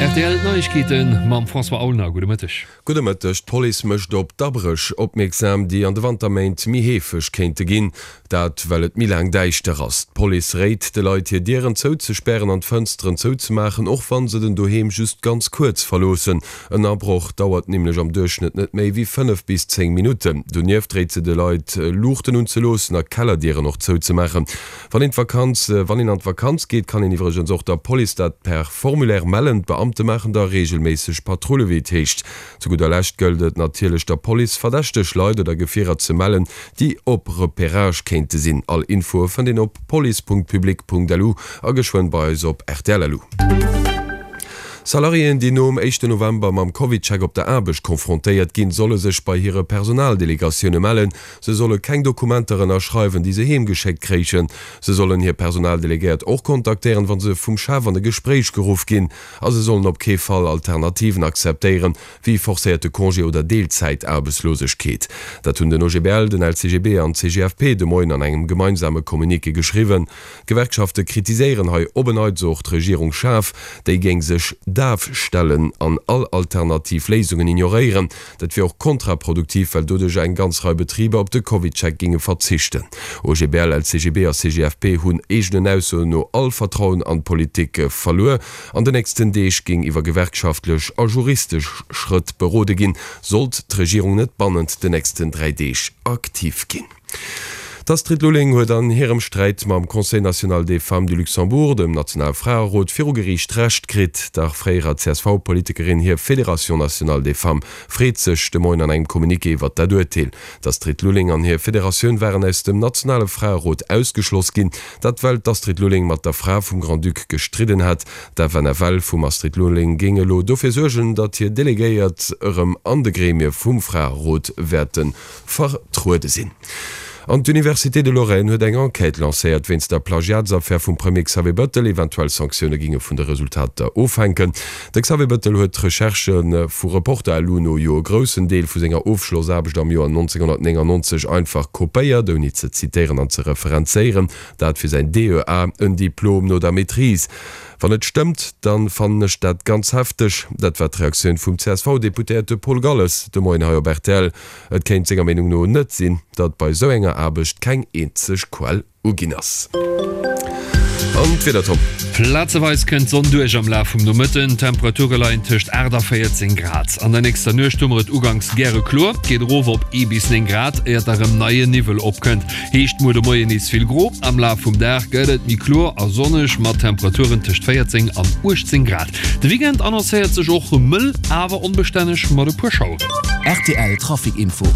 Rtl Neiegkeeten mam François Aulner. Gudde Mëtteg. Gudde Mëtteg. D'Police mécht op d'Abréch opmierksam, déi an de Wanterméint méi heefeg kéinte ginn. Dat well et méi laang däischter ass. D'Police réit de Leit hir Dieren zouzespären an d'Fënsteren zouzemaachen, och wann se den Doheem just ganz kuerz verloossen. En Abroch dauert nämlech am Duerchschnëtt net méi wéi 5 bis 10 Minutten. Donieft réit se de Leit Luuchten unzeloossen a Kellerdieren och zouzemaachen. Wann een d'Vakanz, wann een an d'Vakanz geet, kann een iwwregens och der Police dat per Formulaire mellen. D'Beamte maachen da reegelméisseg Patrulle wéi et heescht. Zu gudder Lescht gëllt et natierlech der Police verdächteg Leit oder Gefierer ze mellen, déi op Repérage kéinte sinn. All Infoe fënnt een op police.public.lu a geschwënn bei eis op rtl.lu. Salariéen, déi nom éischten November mam CovidCheck op der Aarbecht confrontéiert ginn, solle sech bei hire Personaldelegatioune mellen. Se solle keng Dokumenter ënnerschreiwen, déi se heem geschéckt kréichen. Se sollen hir Personaldelegéiert och kontaktéieren, wa se vum Chef an e Gespréich geruff ginn. A se sollen op kee Fall Alternativen akzeptéieren, wéi forcéierte Congé oder Deelzäitaarbechtslosegkeet. Dat hunn den OGBL, den LCGB an d'CGFP de Moien an engem gemeinsame Communiqué geschriwwen. D'Gewerkschafte kritiséieren hei op en Neits och d'Regierung schaarf. Déi géing sech daf stellen an all alternativ Léisungen ignoréieren. Dat wier och kontraproduktiv, well doduerch eng ganz Rei Betriber op de CovidCheck géinge verzichten. OGBL, LCGB a CGFP hunn eegenen Aussoen no all Vertrauen an d'Politik verluer. An de nächsten Deeg géing iwwer gewerkschaftlech a juristesch Schrëtt berode ginn, sollt d'Regierung net bannent de nächsten 3 Deeg aktiv ginn. D'Astrid Lulling huet an hirem Sträit mam Conseil national des femmes du Luxembourg, dem nationale Fraerot, viru Geriicht Recht kritt. Der fréierer CSV-Politikerin hir Fédération nationale des femmes freet sech de Moien an engem Communiqué iwwert dat Urteel. D'Astrid Lulling an hir Federatioun waren aus dem nationale Fraerot ausgeschloss ginn. Dat well d'Astrid Lulling mat der Fra vum Grand-Duc gestridden hat. D'FNFL vum Astrid Lulling géing elo dofir suergen, datt hir Delegéiert erëm an de Gremie vum Fraerot wäerte vertruede sinn. An d'Université de Lorraine huet eng Enquête lancéiert wéinst der Plagiatsaffär vum Premier Xavier Bëttel. Eventuell Sanktioune ginge vun de Resultater ofhänken. De Xavier Bëttel huet d'Recherchë vu Reporter LU no jo e groussen Deel vu senger Ofschlossaarbecht am Joer 1999 einfach kopéiert, ouni ze zitéieren an ze referenzéieren. Dat fir säin DEA, en Diplom no der Maîtrise. Wann et stëmmt, dann fannen ech dat ganz hefteg. Dat war d'Reaktioun vum CSV-Deputéierte Paul Galles de Moien hei op rtl. Et kéint senger Meenung no net sinn, datt bei esou enger Aarbecht keng eenzeg Quell uginn ass. An d'Wieder, Tom? Plazeweis kënnt d'Sonn duerch am Laf vum Nomëtten, d'Temperature leien tëscht 8 a 14 Grad. An der nächster Nuecht hu mer et uganks gäre kloer, geet erof op ee bis 9 Grad, éiert da rëm neie Niwwel opkënnt. Heescht muer de Moien nees vill gro, am Laf vum Dag gëtt et méi kloer a sonneg mat Temperaturen tëscht 14 an 18 Grad. De Weekend annoncéiert sech och mëll, awer onbestänneg mat e puer Schaueren. Rtl Trafic Info.